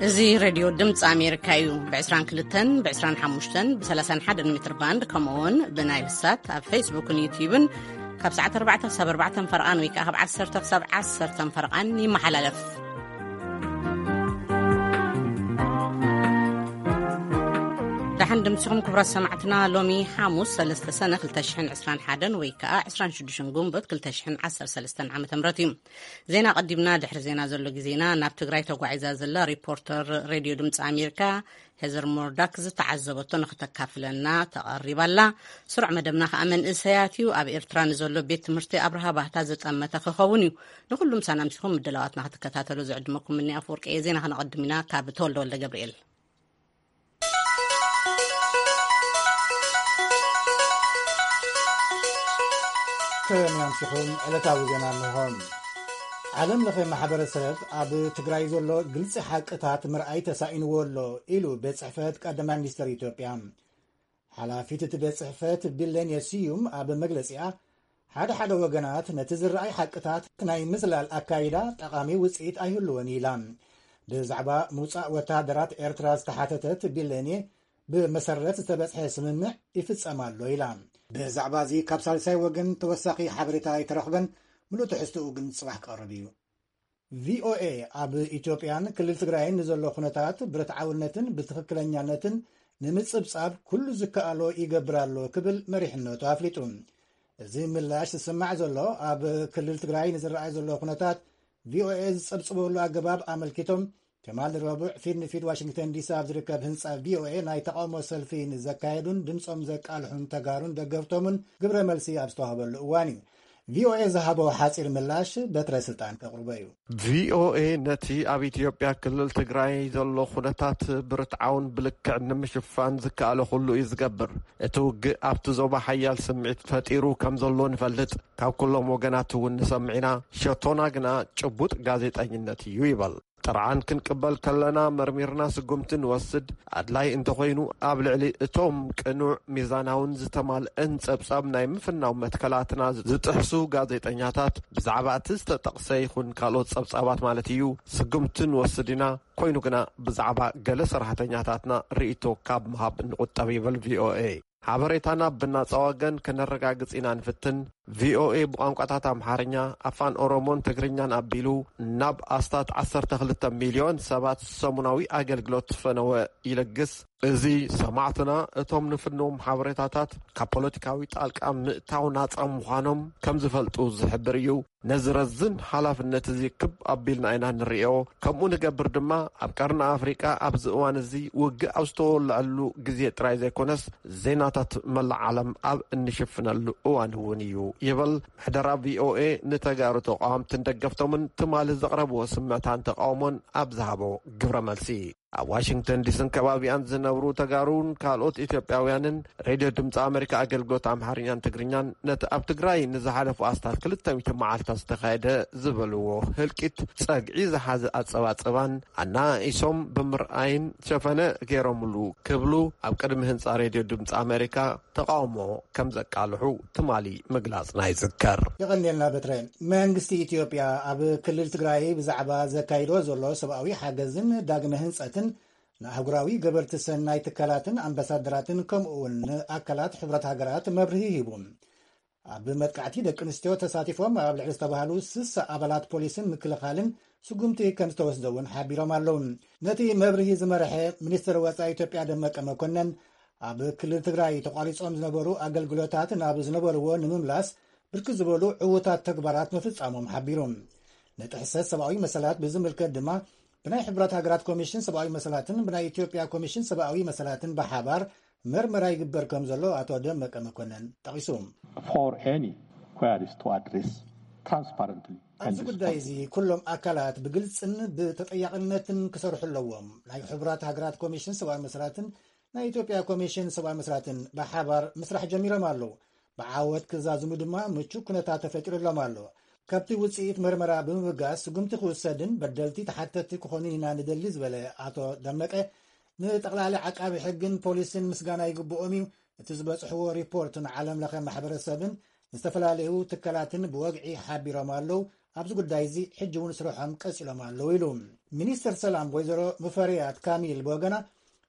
እዚ ሬድዮ ድምፂ ኣሜሪካ እዩ። ብ22፣ ብ25፣ ብ31 ሜትር ባንድ፣ ከምኡ እውን ብናይል ሳት ኣብ ፌስቡክን ዩትዩብን ካብ ሰዓት ኣርባዕተ ክሳብ ኣርባዕተ ፈርቓን ወይ ከዓ ካብ ዓሰርተ ክሳብ ዓሰርተ ፈርቓን ይመሓላለፍ። ደሓን ድምፅኹም ክቡራት ሰማዕትና፣ ሎሚ ሓሙስ ሰለስተ ሰነ ክልተ ሽሕን ዕስራን ሓደን ወይ ከዓ ዕስራን ሽዱሽተን ጉንበት ክልተ ሽሕን ዓሰርተ ሰለስተን ዓመተ ምህረት እዩ። ዜና ቀዲምና፣ ድሕሪ ዜና ዘሎ ግዜና ናብ ትግራይ ተጓዒዛ ዘላ ሪፖርተር ሬድዮ ድምፂ ኣሜሪካ ሄዘር ሞርዳክ ዝተዓዘበቶ ንክተካፍለና ተቐሪባላ። ስሩዕ መደብና ከዓ መንእሰያት እዩ። ኣብ ኤርትራ ንዘሎ ቤት ትምህርቲ ኣብርሃ ባህታ ዝጠመተ ክኸውን እዩ። ንኩሉ ምሳና ምሲኹም ምድላዋትና ክትከታተሉ ዝዕድመኩም ምኒ ኣፈወርቂ እየ። ዜና ከነቐድም ኢና ካብ ተወልደ ወልደ ገብርኤል። ከመይ ኣምሲኹም? ዕለታዊ ዜና እንሆ። ዓለም ለኸ ማሕበረሰብ ኣብ ትግራይ ዘሎ ግልፂ ሓቅታት ምርኣይ ተሳኢንዎ ኣሎ ኢሉ ቤት ጽሕፈት ቀዳማይ ሚኒስትር ኢትዮጵያ። ሓላፊት እቲ ቤት ጽሕፈት ቢለኔ ስዩም ኣብ መግለጺኣ፣ ሓደ ሓደ ወገናት ነቲ ዝረኣይ ሓቅታት ናይ ምዝላል ኣካይዳ ጠቓሚ ውጽኢት ኣይህልዎን ኢላ። ብዛዕባ ምውጻእ ወተሃደራት ኤርትራ ዝተሓተተት ቢለኔ፣ ብመሰረት ዝተበጽሐ ስምምዕ ይፍጸም ኣሎ ኢላ። ብዛዕባ እዚ ካብ ሳልሳይ ወገን ተወሳኺ ሓበሬታ ኣይተረኽበን፣ ምሉእ ትሕዝትኡ ግን ጽባሕ ክቐርብ እዩ። ቪኦኤ ኣብ ኢትዮጵያን ክልል ትግራይን ንዘሎ ኩነታት ብርትዓውነትን ብትኽክለኛነትን ንምጽብጻብ ኩሉ ዝከኣሎ ይገብር ኣሎ ክብል መሪሕነቱ ኣፍሊጡ። እዚ ምላሽ ዝስማዕ ዘሎ ኣብ ክልል ትግራይ ንዝረኣይ ዘሎ ኩነታት ቪኦኤ ዝጸብጽበሉ ኣገባብ ኣመልኪቶም ትማሊ ረቡዕ ፊት ንፊት ዋሽንግተን ዲሲ ኣብ ዝርከብ ህንጻ ቪኦኤ ናይ ተቃውሞ ሰልፊ ንዘካየዱን ድምጾም ዘቃልሑን ተጋሩን ደገፍቶምን ግብረ መልሲ ኣብ ዝተዋህበሉ እዋን እዩ። ቪኦኤ ዝሃቦ ሓጺር ምላሽ በትረ ስልጣን ከቕርቦ እዩ። ቪኦኤ ነቲ ኣብ ኢትዮጵያ ክልል ትግራይ ዘሎ ኩነታት ብርትዓውን ብልክዕ ንምሽፋን ዝከኣለ ኩሉ እዩ ዝገብር። እቲ ውግእ ኣብቲ ዞባ ሓያል ስምዒት ፈጢሩ ከም ዘሎ ንፈልጥ፣ ካብ ኩሎም ወገናት እውን ንሰምዕ ኢና። ሸቶና ግና ጭቡጥ ጋዜጠኝነት እዩ ይበል። ጥርዓን ክንቅበል ከለና መርሚርና ስጉምቲ ንወስድ። ኣድላይ እንተኾይኑ ኣብ ልዕሊ እቶም ቅኑዕ፣ ሚዛናውን ዝተማልአን ጸብጻብ ናይ ምፍናው መትከላትና ዝጥሕሱ ጋዜጠኛታት ብዛዕባ እቲ ዝተጠቕሰ ይኹን ካልኦት ጸብጻባት ማለት እዩ ስጉምቲ ንወስድ ኢና። ኮይኑ ግና ብዛዕባ ገለ ሰራሕተኛታትና ርእይቶ ካብ ምሃብ ንቑጠብ ይብል ቪኦኤ። ሓበሬታና ብናጻ ወገን ከነረጋግጽ ኢና ንፍትን። ቪኦኤ ብቋንቋታት ኣምሓርኛ፣ ኣፋን ኦሮሞን ትግርኛን ኣቢሉ ናብ ኣስታት ዓሰርተ ክልተ ሚልዮን ሰባት ሰሙናዊ ኣገልግሎት ፈነወ ይለግስ። እዚ ሰማዕትና እቶም ንፍንዎም ሓበሬታታት ካብ ፖለቲካዊ ጣልቃ ምእታው ናጻ ምዃኖም ከም ዝፈልጡ ዝሕብር እዩ። ነዚ ረዝን ሓላፍነት እዚ ክብ ኣቢልና ኢና ንርእዮ። ከምኡ ንገብር ድማ ኣብ ቀርኒ ኣፍሪቃ ኣብዚ እዋን እዚ ውግእ ኣብ ዝተወልዐሉ ግዜ ጥራይ ዘይኮነስ ዜናታት መላእ ዓለም ኣብ እንሽፍነሉ እዋን እውን እዩ ይብል ምሕደራ ቪኦኤ ንተጋሩ ተቃወምትን ደገፍቶምን ትማሊ ዘቕረብዎ ስምዕታን ተቃውሞን ኣብ ዝሃቦ ግብረ መልሲ። ኣብ ዋሽንግተን ዲስን ከባቢኣን ዝነብሩ ተጋሩን ካልኦት ኢትዮጵያውያንን ሬድዮ ድምፂ ኣሜሪካ ኣገልግሎት ኣምሓርኛን ትግርኛን ነቲ ኣብ ትግራይ ንዝሓለፉ ኣስታት ክልተ ሚእቲ መዓልታት ዝተኻየደ ዝበልዎ ህልቂት ጸግዒ ዝሓዘ ኣጸባጽባን ኣናኢሶም ብምርኣይን ሸፈነ ገይሮምሉ ክብሉ ኣብ ቅድሚ ህንጻ ሬድዮ ድምፂ ኣሜሪካ ተቃውሞ ከም ዘቃልሑ ትማሊ ምግላጽና ይዝከር። የቐንየልና በትረ። መንግስቲ ኢትዮጵያ ኣብ ክልል ትግራይ ብዛዕባ ዘካይዶ ዘሎ ሰብኣዊ ሓገዝን ዳግመ ህንጸትን ንኣህጉራዊ ገበርቲ ሰናይ ትካላትን ኣምባሳደራትን ከምኡ እውን ንኣካላት ሕብረት ሃገራት መብርሂ ሂቡ። ኣብ መጥቃዕቲ ደቂ ኣንስትዮ ተሳቲፎም ኣብ ልዕሊ ዝተባህሉ ስሳ ኣባላት ፖሊስን ምክልኻልን ስጉምቲ ከም ዝተወስደ እውን ሓቢሮም ኣለዉ። ነቲ መብርሂ ዝመርሐ ሚኒስትር ወጻኢ ኢትዮጵያ ደመቀ መኮነን፣ ኣብ ክልል ትግራይ ተቋሪጾም ዝነበሩ ኣገልግሎታት ናብ ዝነበርዎ ንምምላስ ብርክት ዝበሉ ዕዉታት ተግባራት ምፍጻሞም ሓቢሩ። ንጥሕሰት ሰብኣዊ መሰላት ብዝምልከት ድማ ብናይ ሕብራት ሃገራት ኮሚሽን ሰብኣዊ መሰላትን ብናይ ኢትዮጵያ ኮሚሽን ሰብኣዊ መሰላትን ብሓባር መርመራ ይግበር ከም ዘሎ ኣቶ ደመቀ መኮነን ጠቒሱ። For any queries to address transparently and ኣብዚ ጉዳይ እዚ ኩሎም ኣካላት ብግልጽን ብተጠያቕነትን ክሰርሑ ኣለዎም። ናይ ሕቡራት ሃገራት ኮሚሽን ሰብኣዊ መሰላትን ናይ ኢትዮጵያ ኮሚሽን ሰብኣዊ መሰላትን ብሓባር ምስራሕ ጀሚሮም ኣለዉ። ብዓወት ክዛዝሙ ድማ ምቹ ኩነታት ተፈጢሩሎም ኣሎ። ካብቲ ውጽኢት መርመራ ብምብጋስ ስጉምቲ ክውሰድን በደልቲ ተሓተቲ ክኾኑን ኢና ንደሊ ዝበለ ኣቶ ደመቀ፣ ንጠቕላሊ ዓቃቢ ሕግን ፖሊስን ምስጋና ይግብኦም እዩ። እቲ ዝበጽሕዎ ሪፖርት ንዓለም ለኸ ማሕበረሰብን ዝተፈላለዩ ትካላትን ብወግዒ ሓቢሮም ኣለዉ። ኣብዚ ጉዳይ እዚ ሕጂ እውን ስርሖም ቀጺሎም ኣለዉ ኢሉ። ሚኒስትር ሰላም ወይዘሮ ሙፈሪያት ካሚል ብወገና፣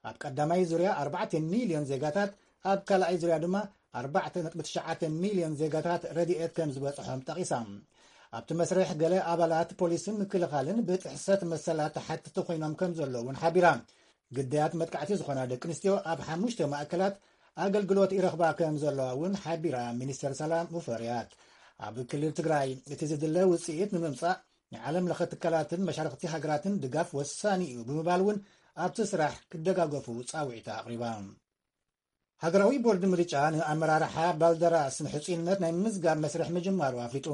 ኣብ ቀዳማይ ዙርያ ኣርባዕተ ሚልዮን ዜጋታት፣ ኣብ ካልኣይ ዙርያ ድማ ኣርባዕተ ነጥቢ ትሽዓተ ሚልዮን ዜጋታት ረድኤት ከም ዝበጽሖም ጠቒሳ። ኣብቲ መስርሕ ገለ ኣባላት ፖሊስን ምክልኻልን ብጥሕሰት መሰላት ተሓትቲ ኮይኖም ከም ዘለዉ እውን ሓቢራ። ግዳያት መጥቃዕቲ ዝኾና ደቂ ኣንስትዮ ኣብ ሓሙሽተ ማእከላት ኣገልግሎት ይረኽባ ከም ዘለዋ እውን ሓቢራ። ሚኒስተር ሰላም ሙፈሪያት፣ ኣብ ክልል ትግራይ እቲ ዝድለ ውፅኢት ንምምፃእ ንዓለም ለኸ ትካላትን መሻርክቲ ሃገራትን ድጋፍ ወሳኒ እዩ ብምባል እውን ኣብቲ ስራሕ ክደጋገፉ ፃውዒታ ኣቕሪባ። ሃገራዊ ቦርድ ምርጫ ንኣመራርሓ ባልደራስ ንሕፁይነት ናይ ምዝጋብ መስርሕ ምጅማሩ ኣፍሊጡ።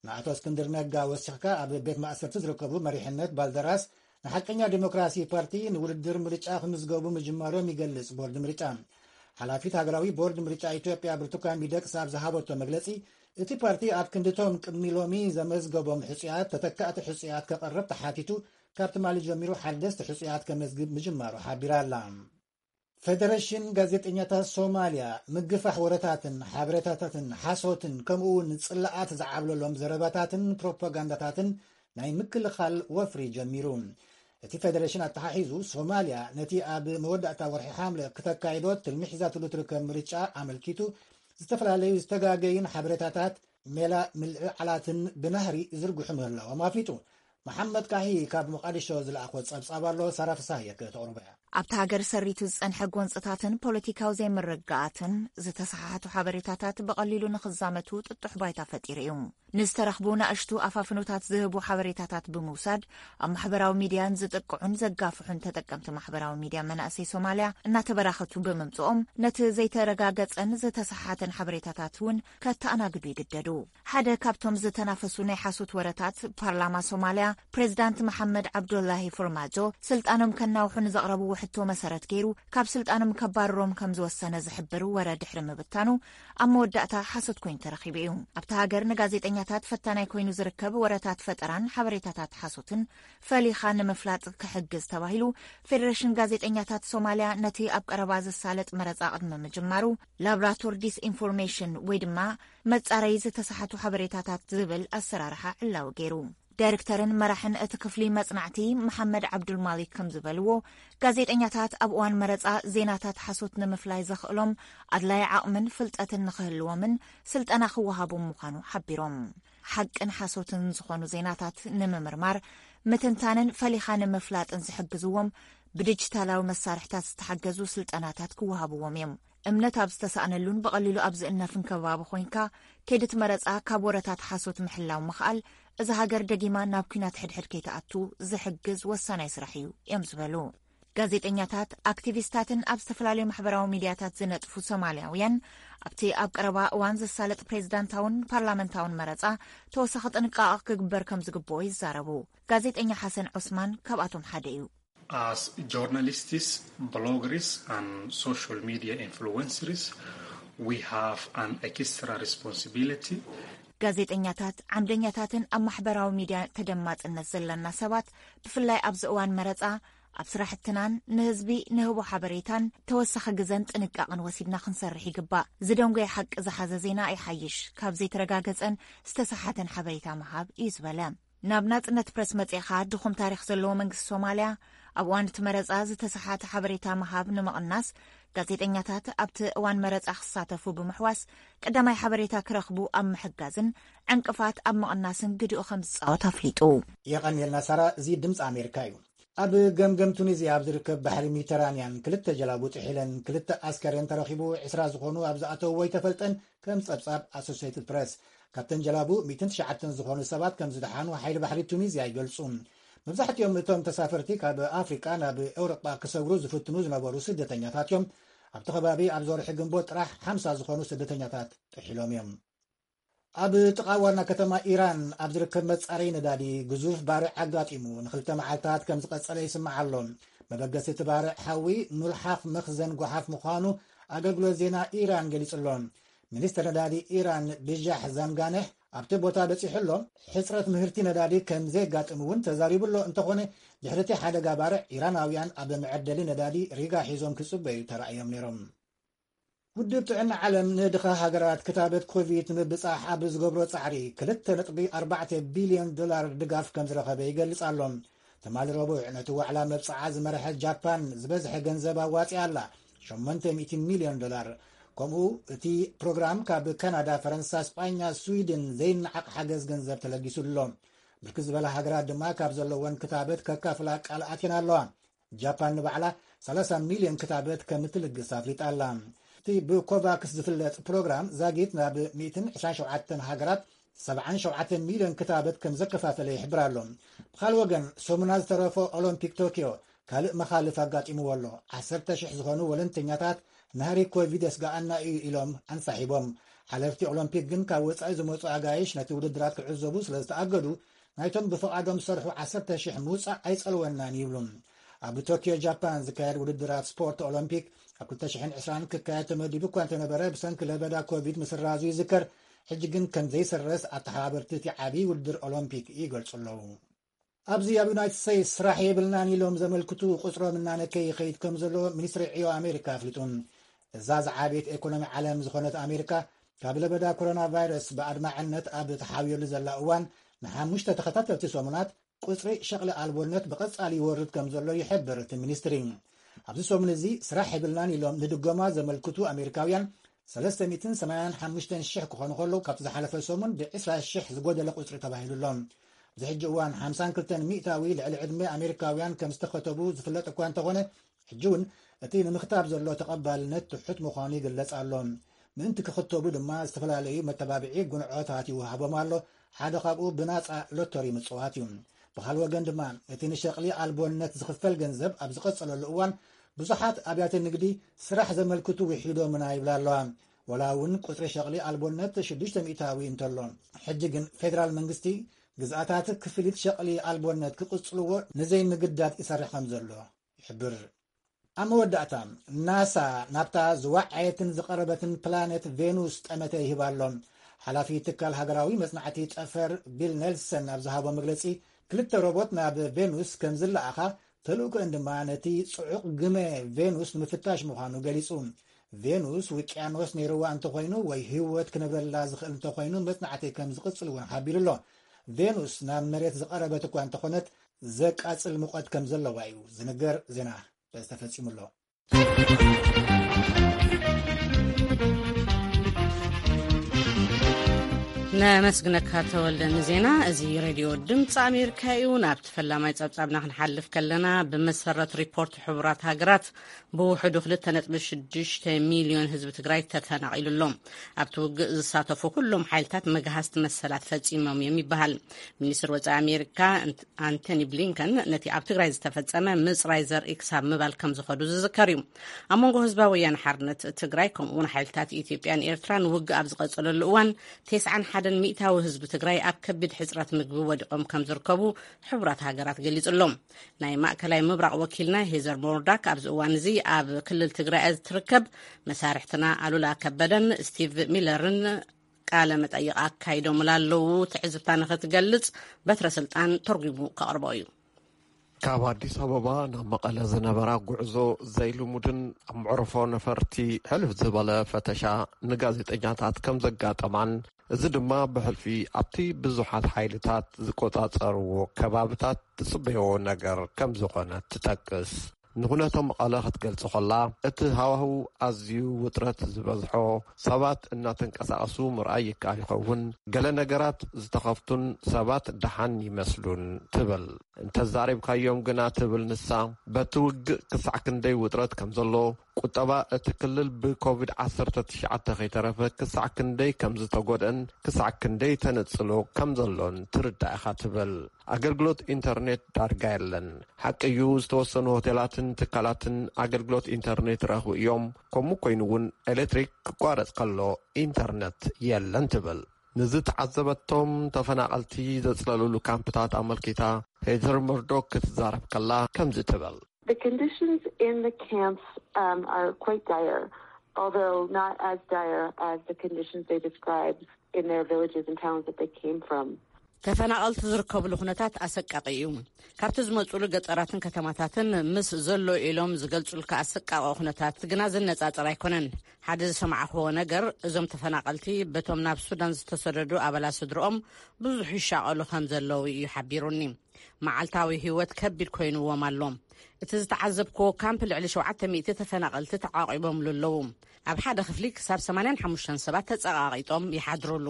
ንኣቶ እስክንድር ነጋ ወሲኽካ ኣብ ቤት ማእሰርቲ ዝርከቡ መሪሕነት ባልደራስ ንሓቀኛ ዲሞክራሲ ፓርቲ ንውድድር ምርጫ ክምዝገቡ ምጅማሮም ይገልጽ ቦርድ ምርጫ። ሓላፊት ሃገራዊ ቦርድ ምርጫ ኢትዮጵያ ብርቱካን ሚደቅሳ ኣብ ዝሃበቶ መግለጺ፣ እቲ ፓርቲ ኣብ ክንድቶም ቅድሚ ሎሚ ዘመዝገቦም ሕጹያት ተተካእቲ ሕጹያት ከቐርብ ተሓቲቱ፣ ካብ ትማሊ ጀሚሩ ሓደስቲ ሕጹያት ከመዝግብ ምጅማሩ ሓቢራ ኣላ። ፌደሬሽን ጋዜጠኛታት ሶማልያ፣ ምግፋሕ ወረታትን ሓበሬታታትን ሓሶትን ከምኡ እውን ጽላኣት ዝዓብለሎም ዘረባታትን ፕሮፓጋንዳታትን ናይ ምክልኻል ወፍሪ ጀሚሩ። እቲ ፌደሬሽን ኣተሓሒዙ፣ ሶማልያ ነቲ ኣብ መወዳእታ ወርሒ ሓምለ ክተካይዶ ትልሚ ሒዛትሉ ትርከብ ምርጫ ኣመልኪቱ፣ ዝተፈላለዩ ዝተጋገዩን ሓበሬታታት ሜላ ምልዕዓላትን ብናህሪ ይዝርግሑ ምህላዎም ኣፍሊጡ። መሓመድ ካሂ ካብ ሞቃዲሾ ዝለኣኾ ጸብጻብ ኣሎ፣ ሳራ ፍሳህየ ከተቕርቦ እያ። ኣብታ ሃገር ሰሪቱ ዝጸንሐ ጎንጽታትን ፖለቲካዊ ዘይምርግጋኣትን፣ ዝተሰሓሓቱ ሓበሬታታት ብቐሊሉ ንኽዛመቱ ጥጡሕ ባይታ ፈጢሩ እዩ። ንዝተረኽቡ ናእሽቱ ኣፋፍኖታት ዝህቡ ሓበሬታታት ብምውሳድ፣ ኣብ ማሕበራዊ ሚድያ ንዝጥቅዑን ዘጋፍሑን ተጠቀምቲ ማሕበራዊ ሚድያ መናእሰይ ሶማልያ እናተበራኸቱ ብምምጽኦም፣ ነቲ ዘይተረጋገጸን ዝተሰሓሓተን ሓበሬታታት እውን ከተኣናግዱ ይግደዱ። ሓደ ካብቶም ዝተናፈሱ ናይ ሓሶት ወረታት፣ ፓርላማ ሶማልያ ፕሬዝዳንት መሓመድ ዓብዱላሂ ፎርማጆ ስልጣኖም ከናውሑ ንዘቕረብዎ ሕቶ መሰረት ገይሩ ካብ ስልጣኖም ከባርሮም ከም ዝወሰነ ዝሕብር ወረ ድሕሪ ምብታኑ፣ ኣብ መወዳእታ ሓሶት ኮይኑ ተረኺቡ እዩ። ኣብታ ሃገር ንጋዜጠኛታት ፈታናይ ኮይኑ ዝርከብ ወረታት ፈጠራን ሓበሬታታት ሓሶትን ፈሊኻ ንምፍላጥ ክሕግዝ ተባሂሉ፣ ፌደሬሽን ጋዜጠኛታት ሶማልያ ነቲ ኣብ ቀረባ ዝሳለጥ መረጻ ቅድሚ ምጅማሩ ላብራቶር ዲስኢንፎርሜሽን ወይ ድማ መጻረዪ ዝተሳሓቱ ሓበሬታታት ዝብል ኣሰራርሓ ዕላዊ ገይሩ። ዳይሬክተርን መራሕን እቲ ክፍሊ መጽናዕቲ መሓመድ ዓብዱልማሊክ ከም ዝበልዎ፣ ጋዜጠኛታት ኣብ እዋን መረጻ ዜናታት ሓሶት ንምፍላይ ዘኽእሎም ኣድላይ ዓቕምን ፍልጠትን ንኽህልዎምን ስልጠና ክወሃቦም ምዃኑ ሓቢሮም። ሓቅን ሓሶትን ዝኾኑ ዜናታት ንምምርማር፣ ምትንታንን ፈሊኻ ንምፍላጥን ዝሕግዝዎም ብዲጂታላዊ መሳርሕታት ዝተሓገዙ ስልጠናታት ክወሃብዎም እዮም። እምነት ኣብ ዝተሳእነሉን ብቐሊሉ ኣብ ዝእነፍን ከባቢ ኮይንካ፣ ከይዲ እቲ መረጻ ካብ ወረታት ሓሶት ምሕላው ምኽኣል፣ እዛ ሃገር ደጊማ ናብ ኲናት ሕድሕድ ከይትኣቱ ዝሕግዝ ወሳናይ ስራሕ እዩ እዮም ዝበሉ። ጋዜጠኛታት፣ ኣክቲቪስታትን ኣብ ዝተፈላለዩ ማሕበራዊ ሚድያታት ዝነጥፉ ሶማልያውያን፣ ኣብቲ ኣብ ቀረባ እዋን ዝሳለጥ ፕሬዝዳንታውን ፓርላመንታውን መረጻ ተወሳኺ ጥንቃቐ ክግበር ከም ዝግብኦ ይዛረቡ። ጋዜጠኛ ሓሰን ዑስማን ካብኣቶም ሓደ እዩ። As journalists, bloggers, and social media influencers, we have an extra responsibility. ጋዜጠኛታት፣ ዓምደኛታትን ኣብ ማሕበራዊ ሚድያ ተደማጽነት ዘለና ሰባት፣ ብፍላይ ኣብዚ እዋን መረጻ፣ ኣብ ስራሕትናን ንህዝቢ ንህቦ ሓበሬታን ተወሳኺ ግዘን ጥንቃቕን ወሲድና ክንሰርሕ ይግባእ። ዝደንጎየ ሓቂ ዝሓዘ ዜና ይሓይሽ ካብ ዘይተረጋገጸን ዝተሰሓተን ሓበሬታ ምሃብ እዩ ዝበለ። ናብ ናጽነት ፕረስ መጺእኻ ድኹም ታሪኽ ዘለዎ መንግስቲ ሶማልያ፣ ኣብ እዋን እቲ መረጻ ዝተሰሓተ ሓበሬታ ምሃብ ንምቕናስ፣ ጋዜጠኛታት ኣብቲ እዋን መረጻ ክሳተፉ ብምሕዋስ፣ ቀዳማይ ሓበሬታ ክረኽቡ ኣብ ምሕጋዝን ዕንቅፋት ኣብ ምቕናስን ግድኡ ከም ዝጻወት ኣፍሊጡ። የቐንየልና ሳራ፣ እዚ ድምፂ ኣሜሪካ እዩ። ኣብ ገምገም ቱኒዝያ ኣብ ዝርከብ ባሕሪ ሜዲተራንያን ክልተ ጀላቡ ጥሒለን ክልተ ኣስከሬን ተረኺቡ፣ ዕስራ ዝኾኑ ኣብ ዝኣተውዎ ኣይተፈልጠን፣ ከም ጸብጻብ ኣሶሲየትድ ፕረስ። ካብተን ጀላቡ ሚእትን ትሽዓተን ዝኾኑ ሰባት ከም ዝደሓኑ ሓይሊ ባሕሪ ቱኒዝያ ይገልጹ። መብዛሕትኦም እቶም ተሳፈርቲ ካብ ኣፍሪቃ ናብ ኤውሮጳ ክሰግሩ ዝፍትኑ ዝነበሩ ስደተኛታት እዮም። ኣብቲ ከባቢ ኣብዚ ወርሒ ግንቦት ጥራሕ ሓምሳ ዝኾኑ ስደተኛታት ጥሒሎም እዮም። ኣብ ጥቓ ዋና ከተማ ኢራን ኣብ ዝርከብ መጻረዪ ነዳዲ ግዙፍ ባርዕ ኣጋጢሙ ንኽልተ መዓልታት ከም ዝቐጸለ ይስማዕ ኣሎ። መበገሲ እቲ ባርዕ ሓዊ ኑልሓፍ መኽዘን ጓሓፍ ምዃኑ ኣገልግሎት ዜና ኢራን ገሊጹ ኣሎ። ሚኒስትር ነዳዲ ኢራን ብጃሕ ዛንጋነህ ኣብቲ ቦታ በጺሑ ኣሎ። ሕጽረት ምህርቲ ነዳዲ ከም ዘየጋጥም እውን ተዛሪቡ ኣሎ። እንተኾነ፣ ድሕሪ እቲ ሓደጋ ባርዕ፣ ኢራናውያን ኣብ መዐደሊ ነዳዲ ሪጋ ሒዞም ክጽበዩ ተራእዮም ነይሮም። ውድብ ጥዕና ዓለም ንድኻ ሃገራት ክታበት ኮቪድ ንምብጻሕ ኣብ ዝገብሮ ጻዕሪ ክልተ ነጥቢ ኣርባዕተ ቢልዮን ዶላር ድጋፍ ከም ዝረኸበ ይገልጽ ኣሎ። ትማሊ ረቡዕ ነቲ ዋዕላ መብጽዓ ዝመርሐት ጃፓን ዝበዝሐ ገንዘብ ኣዋጺኣ ኣላ፣ ሸሞንተ ሚእቲ ሚልዮን ዶላር። ከምኡ እቲ ፕሮግራም ካብ ካናዳ፣ ፈረንሳ፣ ስጳኛ፣ ስዊድን ዘይነዓቕ ሓገዝ ገንዘብ ተለጊሱ ኣሎ። ብርክት ዝበላ ሃገራት ድማ ካብ ዘለወን ክታበት ከካፍላ ቃል ኣትየን ኣለዋ። ጃፓን ንባዕላ ሰላሳ ሚልዮን ክታበት ከም እትልግስ ኣፍሊጣ ኣላ። እቲ ብኮቫክስ ዝፍለጥ ፕሮግራም ዛጊት ናብ ሚእትን ዕስራን ሸውዓተን ሃገራት ሰብዓን ሸውዓተን ሚልዮን ክታበት ከም ዘከፋፈለ ይሕብር ኣሎ። ብኻልእ ወገን፣ ሰሙና ዝተረፎ ኦሎምፒክ ቶኪዮ ካልእ መኻልፍ ኣጋጢምዎ ኣሎ። ዓሰርተ ሽሕ ዝኾኑ ወለንተኛታት ናህሪ ኮቪድ የስጋኣና እዩ ኢሎም ኣንሳሒቦም። ሓለፍቲ ኦሎምፒክ ግን ካብ ወጻኢ ዝመጹ ኣጋይሽ ነቲ ውድድራት ክዕዘቡ ስለ ዝተኣገዱ፣ ናይቶም ብፍቓዶም ዝሰርሑ ዓሰርተ ሽሕ ምውጻእ ኣይጸልወናን ይብሉ። ኣብ ቶኪዮ ጃፓን ዝካየድ ውድድራት ስፖርት ኦሎምፒክ ኣብ ክልተ ሽሕን ዕስራን ክካየድ ተመዲቡ እኳ እንተነበረ፣ ብሰንኪ ለበዳ ኮቪድ ምስራዙ ይዝከር። ሕጂ ግን ከም ዘይስረዝ ኣተሓባበርቲ እቲ ዓቢ ውድድር ኦሎምፒክ ይገልጹ ኣለዉ። ኣብዚ ኣብ ዩናይትድ ስቴትስ ስራሕ የብልናን ኢሎም ዘመልክቱ ቁጽሮም እናነከየ ይኸይድ ከም ዘሎ ሚኒስትሪ ዕዮ ኣሜሪካ ኣፍሊጡ። እዛ ዝዓበየት ኤኮኖሚ ዓለም ዝኾነት ኣሜሪካ፣ ካብ ለበዳ ኮሮና ቫይረስ ብኣድማዕነት ኣብ ተሓውየሉ ዘላ እዋን፣ ንሓሙሽተ ተኸታተልቲ ሰሙናት ቁጽሪ ሸቕሊ ኣልቦነት ብቐጻሊ ይወርድ ከም ዘሎ ይሕብር እቲ ሚኒስትሪ። ኣብዚ ሰሙን እዚ ስራሕ የብልናን ኢሎም ንድጎማ ዘመልክቱ ኣሜሪካውያን ሰለስተ ሚእትን ሰማንያን ሓሙሽተን ሽሕ ክኾኑ ከለዉ፣ ካብቲ ዝሓለፈ ሰሙን ብዕስራ ሽሕ ዝጎደለ ቁጽሪ ተባሂሉ ኣሎ። ኣብዚ ሕጂ እዋን ሓምሳን ክልተን ሚእታዊ ልዕሊ ዕድመ ኣሜሪካውያን ከም ዝተኸተቡ ዝፍለጥ እኳ እንተኾነ፣ ሕጂ እውን እቲ ንምኽታብ ዘሎ ተቐባልነት ትሑት ምዃኑ ይግለጽ ኣሎ። ምእንቲ ክኽተቡ ድማ ዝተፈላለዩ መተባብዒ ጉንዖታት ይወሃቦም ኣሎ። ሓደ ካብኡ ብናጻ ሎተሪ ምጽዋት እዩ። ብኻልእ ወገን ድማ፣ እቲ ንሸቕሊ ኣልቦነት ዝኽፈል ገንዘብ ኣብ ዝቐጸለሉ እዋን፣ ብዙሓት ኣብያተ ንግዲ ስራሕ ዘመልክቱ ውሒዶምና ይብላ ኣለዋ። ወላ እውን ቁጽሪ ሸቕሊ ኣልቦነት ሽዱሽተ ሚእታዊ እንተሎ፣ ሕጂ ግን ፌደራል መንግስቲ ግዝኣታት ክፍሊት ሸቕሊ ኣልቦነት ክቕጽልዎ ንዘይምግዳድ ይሰርሕ ከም ዘሎ ይሕብር። ኣብ መወዳእታ፣ ናሳ ናብታ ዝወዓየትን ዝቐረበትን ፕላኔት ቬኑስ ጠመተ ይህብ ኣሎ። ሓላፊ ትካል ሃገራዊ መጽናዕቲ ጠፈር ቢል ኔልሰን ኣብ ዝሃቦ መግለጺ፣ ክልተ ሮቦት ናብ ቬኑስ ከም ዝለኣኻ፣ ተልእኮአን ድማ ነቲ ጽዑቕ ግመ ቬኑስ ንምፍታሽ ምዃኑ ገሊጹ። ቬኑስ ውቅያኖስ ነይርዋ እንተኾይኑ ወይ ህይወት ክነብረላ ዝኽእል እንተኾይኑ፣ መጽናዕቲ ከም ዝቕጽል እውን ሓቢሩ ኣሎ። ቬኑስ ናብ መሬት ዝቐረበት እኳ እንተኾነት፣ ዘቃጽል ሙቐት ከም ዘለዋ እዩ ዝንገር። ዜና በዚ ተፈጺሙ ኣሎ። ነመስግነካ ተወልደ ንዜና። እዚ ሬድዮ ድምፂ ኣሜሪካ እዩ። ናብቲ ፈላማይ ጸብጻብና ክንሓልፍ ከለና፣ ብመሰረት ሪፖርት ሕቡራት ሃገራት፣ ብውሕዱ ክልተ ነጥቢ ሽዱሽተ ሚልዮን ህዝቢ ትግራይ ተፈናቒሉ ኣሎ። ኣብቲ ውግእ ዝሳተፉ ኩሎም ሓይልታት መግሃስቲ መሰላት ፈጺሞም እዮም ይበሃል። ሚኒስትር ወጻኢ ኣሜሪካ ኣንቶኒ ብሊንከን ነቲ ኣብ ትግራይ ዝተፈጸመ ምጽራይ ዘርኢ ክሳብ ምባል ከም ዝኸዱ ዝዝከር እዩ። ኣብ መንጎ ህዝባዊ ወያነ ሓርነት ትግራይ፣ ከምኡ እውን ሓይልታት ኢትዮጵያን ኤርትራን ውግእ ኣብ ዝቐጸለሉ እዋን፣ ተስዓን ሓደን ሚእታዊ ህዝቢ ትግራይ ኣብ ከቢድ ሕጽረት ምግቢ ወዲቖም ከም ዝርከቡ ሕቡራት ሃገራት ገሊጹ ኣሎ። ናይ ማእከላይ ምብራቕ ወኪልና ሄዘር ሞርዳክ ኣብዚ እዋን እዚ ኣብ ክልል ትግራይ እያ ትርከብ። መሳርሕትና ኣሉላ ከበደን ስቲቭ ሚለርን ቃለ መጠይቕ ኣካይዶምላ ኣለዉ። ትዕዝብታ ንኽትገልጽ፣ በትረ ስልጣን ተርጒሙ ከቕርቦ እዩ። ካብ ኣዲስ ኣበባ ናብ መቐለ ዝነበራ ጉዕዞ ዘይልሙድን ኣብ መዕርፎ ነፈርቲ ሕልፍ ዝበለ ፈተሻ ንጋዜጠኛታት ከም ዘጋጠማን፣ እዚ ድማ ብሕልፊ ኣብቲ ብዙሓት ሓይልታት ዝቆጻጸርዎ ከባብታት ትጽበዮ ነገር ከም ዝኾነ ትጠቅስ። ንኹነቶ መቐለ ክትገልጽ ከላ፣ እቲ ሃዋህው ኣዝዩ ውጥረት ዝበዝሖ፣ ሰባት እናተንቀሳቐሱ ምርኣይ ይከኣል ይኸውን፣ ገለ ነገራት ዝተኸፍቱን ሰባት ደሓን ይመስሉን ትብል። እንተዛሪብካዮም ግና፣ ትብል ንሳ፣ በቲ ውግእ ክሳዕ ክንደይ ውጥረት ከም ዘሎ፣ ቁጠባ እቲ ክልል ብኮቪድ ዓሰርተ ትሽዓተ ከይተረፈ ክሳዕ ክንደይ ከም ዝተጎድአን ክሳዕ ክንደይ ተነጽሎ ከም ዘሎን ትርዳእ ኢኻ ትብል። ኣገልግሎት ኢንተርኔት ዳርጋ የለን። ሓቂ እዩ፣ ዝተወሰኑ ሆቴላትን ትካላትን ኣገልግሎት ኢንተርኔት ይረኽቡ እዮም። ከምኡ ኮይኑ እውን ኤሌክትሪክ ክቋረጽ ከሎ ኢንተርነት የለን ትብል። ንዝተዓዘበቶም ተፈናቐልቲ ዘጽለሉሉ ካምፕታት ኣመልኪታ ሄዘር መርዶክ ክትዛረብ ከላ ከምዚ ትብል። The conditions in the camps um, are quite dire, although not as dire as the conditions they described in their villages and towns that they came from. ተፈናቐልቲ ዝርከብሉ ኩነታት ኣሰቃቒ እዩ። ካብቲ ዝመጹሉ ገጠራትን ከተማታትን ምስ ዘሎ ኢሎም ዝገልጹልካ ኣሰቃቒ ኩነታት ግና ዝነጻጸር ኣይኮነን። ሓደ ዝሰማዕክዎ ነገር፣ እዞም ተፈናቐልቲ በቶም ናብ ሱዳን ዝተሰደዱ ኣባላት ስድርኦም ብዙሕ ይሻቐሉ ከም ዘለዉ እዩ ሓቢሩኒ። መዓልታዊ ህይወት ከቢድ ኮይንዎም ኣሎ። እቲ ዝተዓዘብክዎ ካምፕ ልዕሊ ሸውዓተ ሚእቲ ተፈናቐልቲ ተዓቒቦምሉ ኣለዉ። ኣብ ሓደ ክፍሊ ክሳብ ሰማንያን ሓሙሽተን ሰባት ተጸቓቒጦም ይሓድሩሉ።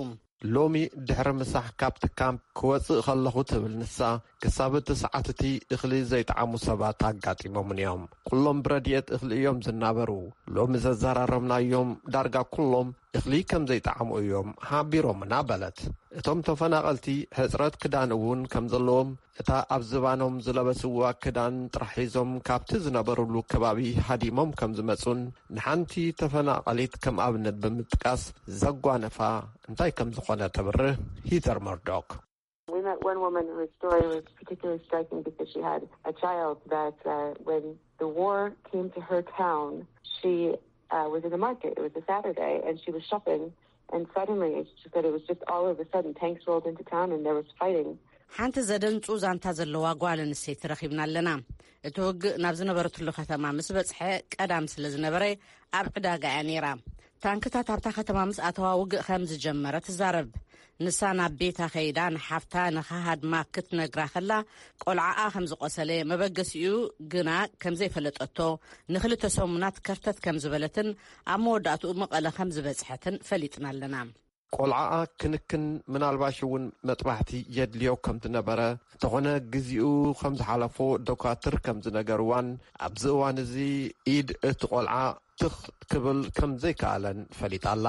ሎሚ ድሕሪ ምሳሕ ካብቲ ካምፕ ክወጽእ ከለኹ፣ ትብል ንሳ፣ ክሳብ እቲ ሰዓት እቲ እኽሊ ዘይጠዓሙ ሰባት ኣጋጢሞምኒ እዮም። ኩሎም ብረድኤት እኽሊ እዮም ዝናበሩ። ሎሚ ዘዘራረብናዮም ዳርጋ ኩሎም እኽሊ ከም ዘይጠዓሙ እዮም ሓቢሮምና፣ በለት። እቶም ተፈናቐልቲ ሕጽረት ክዳን እውን ከም ዘለዎም፣ እታ ኣብ ዝባኖም ዝለበስዋ ክዳን ጥራሕ ሒዞም ካብቲ ዝነበሩሉ ከባቢ ሃዲሞም ከም ዝመጹን፣ ንሓንቲ ተፈናቐሊት ከም ኣብነት ብምጥቃስ፣ ዘጓነፋ እንታይ ከም ዝኾነ ተብርህ ሂተር መርዶክ። We met one woman whose story was particularly striking because she had a child that, uh, when the war came to her town, she uh, was in the market. It was a Saturday, and she was shopping, and suddenly, she said, it was just all of a sudden, tanks rolled into town and there was fighting. ሓንቲ ዘደንጹ ዛንታ ዘለዋ ጓል ኣንስተይቲ ረኺብና ኣለና። እቲ ውግእ ናብ ዝነበረትሉ ከተማ ምስ በጽሐ፣ ቀዳም ስለ ዝነበረ፣ ኣብ ዕዳጋ እያ ነይራ። ታንክታት ኣብታ ከተማ ምስ ኣተዋ ውግእ ከም ዝጀመረ ትዛረብ። ንሳ ናብ ቤታ ከይዳ ንሓፍታ ንኸሃድማ ክትነግራ ከላ፣ ቆልዓኣ ከም ዝቖሰለ፣ መበገሲኡ ግና ከም ዘይፈለጠቶ፣ ንኽልተ ሰሙናት ከርተት ከም ዝበለትን ኣብ መወዳእትኡ መቐለ ከም ዝበጽሐትን ፈሊጥና ኣለና። ቆልዓኣ ክንክን፣ ምናልባሽ እውን መጥባሕቲ የድልዮ ከም ዝነበረ፣ እንተኾነ ግዜኡ ከም ዝሓለፎ ዶካትር ከም ዝነገርዋን፣ ኣብዚ እዋን እዚ ኢድ እቲ ቆልዓ ትኽ ክብል ከም ዘይከኣለን ፈሊጣ ኣላ።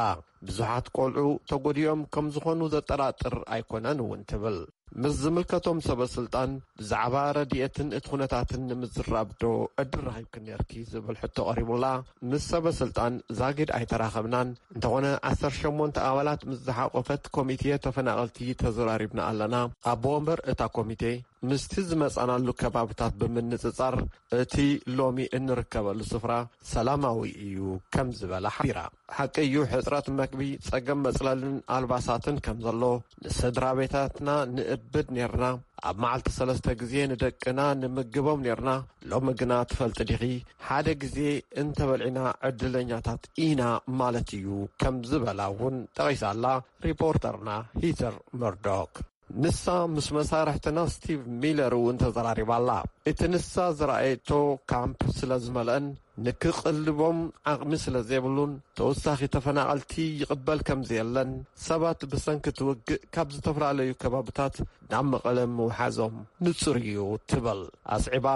ብዙሓት ቆልዑ ተጎዲኦም ከም ዝኾኑ ዘጠራጥር ኣይኮነን እውን ትብል። ምስ ዝምልከቶም ሰበ ስልጣን ብዛዕባ ረድኤትን እቲ ኩነታትን ንምዝራብ ዶ ዕድል ረኺብኪ ነርኪ ዝብል ሕቶ ቀሪቡላ፣ ምስ ሰበ ስልጣን ዛጊድ ኣይተራኸብናን። እንተኾነ ዓሰርተ ሸሞንተ ኣባላት ምስ ዝሓቆፈት ኮሚቴ ተፈናቐልቲ ተዘራሪብና ኣለና። ኣቦ ወንበር እታ ኮሚቴ ምስቲ ዝመጻናሉ ከባብታት ብምንጽጻር እቲ ሎሚ እንርከበሉ ስፍራ ሰላማዊ እዩ ከም ዝበላ ሓቢራ። ሓቂ እዩ፣ ሕጽረት መግቢ፣ ጸገም መጽለልን ኣልባሳትን ከም ዘሎ፣ ንስድራ ቤታትና ንእብድ ኔርና። ኣብ መዓልቲ ሰለስተ ግዜ ንደቅና ንምግቦም ኔርና። ሎሚ ግና ትፈልጢ ዲኺ፣ ሓደ ግዜ እንተበልዒና ዕድለኛታት ኢና ማለት እዩ ከም ዝበላ እውን ጠቒሳ ኣላ ሪፖርተርና ሂተር መርዶክ። ንሳ ምስ መሳርሕትና ስቲቭ ሚለር እውን ተዘራሪባ ኣላ። እቲ ንሳ ዝረኣየቶ ካምፕ ስለ ዝመልአን ንክቕልቦም ዓቕሚ ስለ ዘይብሉን፣ ተወሳኺ ተፈናቐልቲ ይቕበል ከም ዘየለን፣ ሰባት ብሰንኪ እቲ ውግእ ካብ ዝተፈላለዩ ከባብታት ናብ መቐለ ምውሓዞም ንጹር እዩ ትብል ኣስዒባ።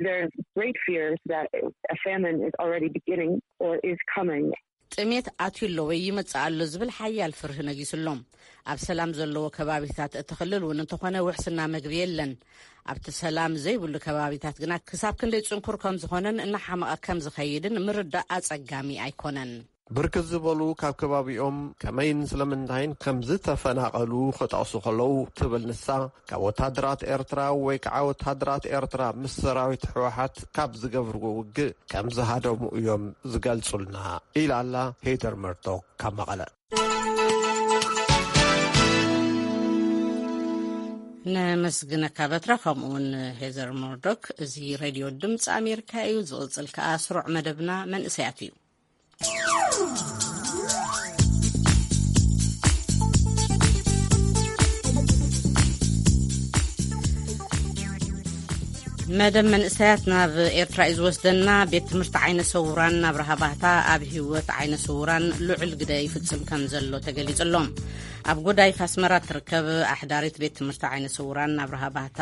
There's great fears that a famine is already beginning or is coming. ጥሜት ኣትዩ ኣሎ ወይ ይመጽእ ኣሎ ዝብል ሓያል ፍርሂ ነጊሱ ኣሎ። ኣብ ሰላም ዘለዎ ከባቢታት እቲ ክልል እውን እንተኾነ ውሕስና መግቢ የለን። ኣብቲ ሰላም ዘይብሉ ከባቢታት ግና ክሳብ ክንደይ ጽንኩር ከም ዝኾነን እናሓመቐ ከም ዝኸይድን ምርዳእ ኣጸጋሚ ኣይኮነን። ብርክት ዝበሉ ካብ ከባቢኦም ከመይን ስለምንታይን ከም ዝተፈናቐሉ ክጠቕሱ ከለዉ፣ ትብል ንሳ፣ ካብ ወታደራት ኤርትራ ወይ ከዓ ወታደራት ኤርትራ ምስ ሰራዊት ህወሓት ካብ ዝገብርዎ ውግእ ከም ዝሃደሙ እዮም ዝገልጹልና፣ ኢላ ኣላ ሄደር መርዶክ ካብ መቐለ። ነመስግነካ በትራ፣ ከምኡውን ሄዘር ሞርዶክ። እዚ ሬድዮ ድምፂ ኣሜሪካ እዩ። ዝቕፅል ከኣ ስሩዕ መደብና መንእሰያት እዩ። መደብ መንእሰያት ናብ ኤርትራ እዩ ዝወስደና። ቤት ትምህርቲ ዓይነ ሰውራን ኣብርሃ ባህታ ኣብ ህይወት ዓይነ ስውራን ልዑል ግደ ይፍጽም ከም ዘሎ ተገሊጹ ኣሎ። ኣብ ጎዳይፍ ኣስመራ እትርከብ ኣሕዳሪት ቤት ትምህርቲ ዓይነ ስውራን ኣብርሃ ባህታ፣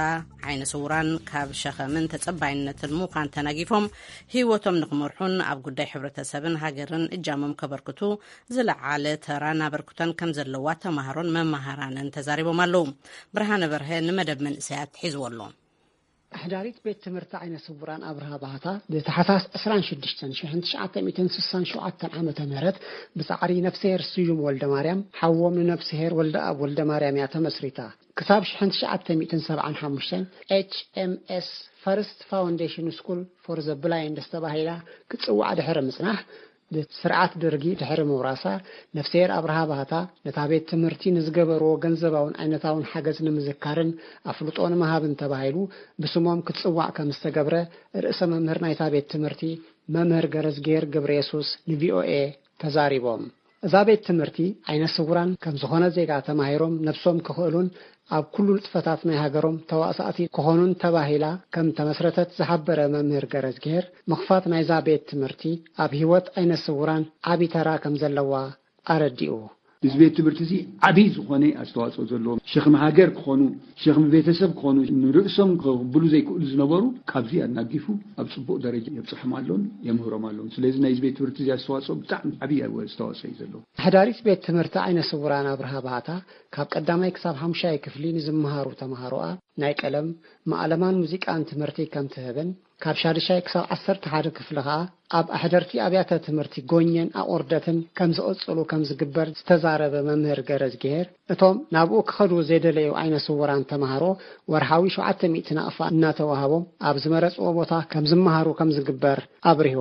ዓይነ ስውራን ካብ ሸኸምን ተጸባይነትን ምዃን ተናጊፎም ህይወቶም ንኽመርሑን ኣብ ጉዳይ ሕብረተሰብን ሃገርን እጃሞም ከበርክቱ ዝለዓለ ተራን ኣበርክቶን ከም ዘለዋ ተማሃሮን መማሃራንን ተዛሪቦም ኣለዉ። ብርሃነ በርሀ ንመደብ መንእሰያት ሒዝዎ ኣሎ። ኣሕዳሪት ቤት ትምህርቲ ዓይነ ስውራን ኣብርሃ ባህታ ብታሕሳስ ዕስራን ሽዱሽተን ሽሕን ትሽዓተ ሚእትን ስሳን ሸውዓተን ዓመተ ምህረት ብጻዕሪ ነፍስሄር ስዩም ወልደ ማርያም፣ ሓዎም ንነፍስሄር ወልደ ኣብ ወልደ ማርያም እያ ተመስሪታ። ክሳብ ሽሕን ትሽዓተ ሚእትን ሰብዓን ሓሙሽተን ኤች ኤም ኤስ ፈርስት ፋውንዴሽን ስኩል ፎር ዘ ብላይንድ ዝተባሂላ ክትጽዋዕ ድሕሪ ምጽናሕ፣ ስርዓት ደርጊ ድሕሪ ምውራሳ፣ ነፍስሄር ኣብርሃ ባህታ ነታ ቤት ትምህርቲ ንዝገበርዎ ገንዘባውን ዓይነታውን ሓገዝ ንምዝካርን ኣፍልጦ ንምሃብን ተባሂሉ ብስሞም ክትጽዋዕ ከም ዝተገብረ ርእሰ መምህር ናይታ ቤት ትምህርቲ መምህር ገረዝጌር ገብረየሱስ ንቪኦኤ ተዛሪቦም። እዛ ቤት ትምህርቲ ዓይነ ስውራን ከም ዝኾነ ዜጋ ተማሂሮም ነብሶም ክኽእሉን ኣብ ኩሉ ንጥፈታት ናይ ሃገሮም ተዋሳእቲ ክኾኑን ተባሂላ ከም ተመስረተት ዝሓበረ መምህር ገረዝጌር፣ ምኽፋት ናይዛ ቤት ትምህርቲ ኣብ ህይወት ዓይነ ስውራን ዓቢ ተራ ከም ዘለዋ ኣረዲኡ። እዚ ቤት ትምህርቲ እዚ ዓቢ ዝኾነ ኣስተዋጽኦ ዘለዎ፣ ሸኽሚ ሃገር ክኾኑ፣ ሸኽሚ ቤተሰብ ክኾኑ፣ ንርእሶም ክቕብሉ ዘይክእሉ ዝነበሩ ካብዚ ኣናጊፉ ኣብ ጽቡቕ ደረጃ የብጽሖም ኣሎን የምህሮም ኣሎን። ስለዚ ናይዚ ቤት ትምህርቲ እዚ ኣስተዋጽኦ ብጣዕሚ ዓቢ ኣስተዋጽኦ እዩ ዘለዎ። ኣሕዳሪት ቤት ትምህርቲ ዓይነ ስውራን ኣብርሃ ባህታ ካብ ቀዳማይ ክሳብ ሓሙሻይ ክፍሊ ንዝመሃሩ ተምሃሮኣ ናይ ቀለም፣ ማእለማን ሙዚቃን ትምህርቲ ከም ትህብን ካብ ሻድሻይ ክሳብ ዓሰርተ ሓደ ክፍሊ ኸኣ ኣብ ኣሕደርቲ ኣብያተ ትምህርቲ ጎኘን ኣቑርደትን ከም ዝቕጽሉ ከም ዝግበር ዝተዛረበ መምህር ገረዝግሄር፣ እቶም ናብኡ ክኸዱ ዘይደለዩ ዓይነ ስውራን ተምሃሮ ወርሓዊ ሸውዓተ ሚእቲ ናቕፋ እናተዋህቦም ኣብ ዝመረጽዎ ቦታ ከም ዝመሃሩ ከም ዝግበር ኣብሪሁ።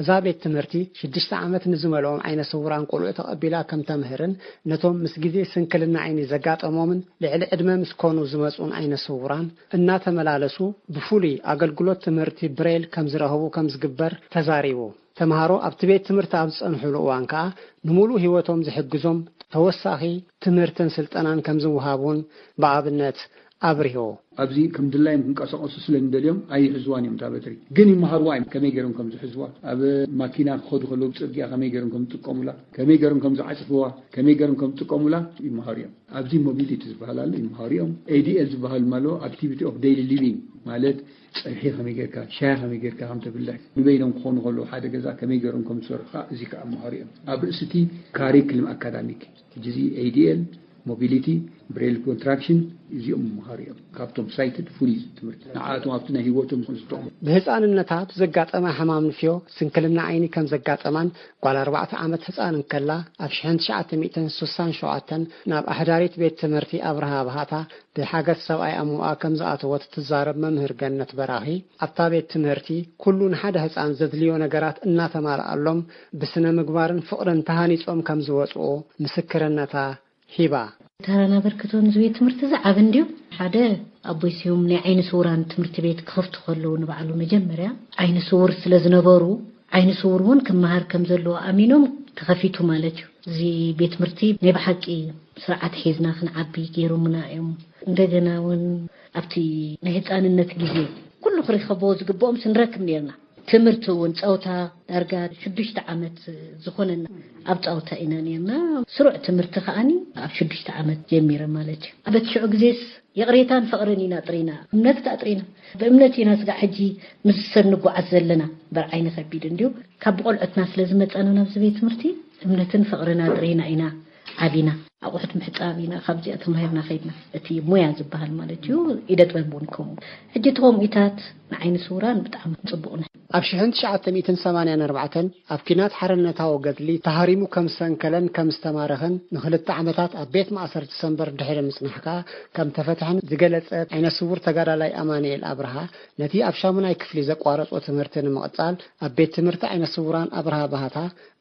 እዛ ቤት ትምህርቲ ሽዱሽተ ዓመት ንዝመልኦም ዓይነ ስውራን ቆልዑ ተቐቢላ ከም ተምህርን ነቶም ምስ ግዜ ስንክልና ዓይኒ ዘጋጠሞምን ልዕሊ ዕድመ ምስ ኮኑ ዝመጹን ዓይነ ስውራን እናተመላለሱ ብፍሉይ ኣገልግሎት ትምህርቲ ብሬል ከም ዝረኽቡ ከም ዝግበር ተዛሪቡ። ተምሃሮ ኣብቲ ቤት ትምህርቲ ኣብ ዝጸንሕሉ እዋን ከኣ ንምሉእ ህይወቶም ዝሕግዞም ተወሳኺ ትምህርትን ስልጠናን ከም ዝወሃብ እውን ብኣብነት ኣብሪሁ። ኣብዚ ከም ድላዮም ክንቀሳቐሱ ስለ እንደልዮም ኣይሕዝዋን እዮም እታ በትሪ። ግን ይመሃርዋ እዮም፣ ከመይ ገይሮም ከም ዝሕዝዋ፣ ኣብ ማኪና ክኸዱ ከለዉ ጽርግያ ከመይ ገይሮም ከም ዝጥቀሙላ፣ ከመይ ገይሮም ከም ዝዓጽፍዋ፣ ከመይ ገይሮም ከም ዝጥቀሙላ ይመሃሩ እዮም። ኣብዚ ሞቢሊቲ ዝበሃል ኣሎ፣ ይመሃሩ እዮም። ኤ ዲ ኤል ዝበሃል ኣሎ፣ ኣክቲቪቲ ኦፍ ዴይሊ ሊቪንግ፣ ማለት ጸብሒ ከመይ ጌርካ፣ ሻሂ ከመይ ጌርካ ከም ተፍልሕ፣ ንበይኖም ክኾኑ ከለዉ ሓደ ገዛ ከመይ ገይሮም ከም ዝሰርሑ ከኣ እዚ ከኣ ይመሃሩ እዮም። ኣብ ርእሲ እቲ ካሪክልም ኣካዳሚክ ሕጂ እዚ ኤ ዲ ኤል፣ ሞቢሊቲ፣ ብሬል ኮንትራክሽን እዚኦም ይመሃሩ እዮም። ካብቶም ሳይትድ ፍሉይ ትምህርቲ ንዓኣቶም ኣብቲ ናይ ህይወቶም ዝጠቕሙ። ብህፃንነታ ብዘጋጠማ ሕማም ንፍዮ ስንክልና ዓይኒ ከም ዘጋጠማን ጓል ኣርባዕተ ዓመት ህፃን እንከላ ኣብ ሽሕን ትሽዓተ ሚእትን ስሳን ሸውዓተን ናብ ኣሕዳሪት ቤት ትምህርቲ ኣብርሃ ባህታ ብሓገዝ ሰብኣይ ኣሞኣ ከም ዝኣተወት ትዛረብ መምህር ገነት በራኺ፣ ኣብታ ቤት ትምህርቲ ኩሉ ንሓደ ህፃን ዘድልዮ ነገራት እናተማልኣሎም ብስነ ምግባርን ፍቕርን ተሃኒፆም ከም ዝወፅኡ ምስክርነታ ሂባ። ተራን ኣበርክቶን እዚ ቤት ትምህርቲ እዚ ዓቢ እንድዩ። ሓደ ኣቦይ ስዩም ናይ ዓይኒ ስውራን ትምህርቲ ቤት ክኸፍቱ ከለዉ ንባዕሉ መጀመርያ ዓይኒ ስውር ስለ ዝነበሩ፣ ዓይኒ ስውር እውን ክመሃር ከም ዘለዎ ኣሚኖም ተኸፊቱ ማለት እዩ። እዚ ቤት ትምህርቲ ናይ ብሓቂ ስርዓት ሒዝና ክንዓቢ ገይሮምና እዮም። እንደገና እውን ኣብቲ ናይ ህፃንነት ግዜ ኩሉ ክርከብዎ ዝግብኦም ስንረክብ ነርና። ትምህርቲ እውን ጸውታ ዳርጋ ሽዱሽተ ዓመት ዝኾነና ኣብ ጸውታ ኢና ነርና። ስሩዕ ትምህርቲ ከኣኒ ኣብ ሽዱሽተ ዓመት ጀሚረ ማለት እዩ። በቲ ሽዑ ግዜስ ይቕሬታን ፍቕርን ኢና ጥሪና፣ እምነት ከኣ ጥሪና። ብእምነት ኢና ስጋዕ ሕጂ ምስ ሰብ ንጓዓዝ ዘለና። እምበር ዓይኒ ከቢድ እንድዩ። ካብ ብቆልዑትና ስለ ዝመጻና ናብዚ ቤት ትምህርቲ እምነትን ፍቕርን ኣጥሪና ኢና ዓቢና። ኣቑሑት ምሕጻብ ኢና ካብዚኣ ተማሂርና ከይድና። እቲ ሞያ ዝበሃል ማለት እዩ፣ ኢደ ጥበብ እውን ከምኡ። ሕጂ እቲ ከምኡታት ንዓይኒ ስውራን ብጣዕሚ ጽቡቕ ነው። ኣብ ሽሕን ትሽዓተ ሚእትን ሰማንያን ኣርባዕተን ኣብ ኲናት ሓርነታዊ ገድሊ ተሃሪሙ ከም ዝሰንከለን ከም ዝተማረኸን ንኽልተ ዓመታት ኣብ ቤት ማእሰርቲ ሰንበር ድሕሪ ምጽናሕ ከኣ ከም ተፈትሐን ዝገለጸ ዓይነ ስውር ተጋዳላይ ኣማኑኤል ኣብርሃ፣ ነቲ ኣብ ሻሙናይ ክፍሊ ዘቋረጾ ትምህርቲ ንምቕጻል ኣብ ቤት ትምህርቲ ዓይነ ስውራን ኣብርሃ ባህታ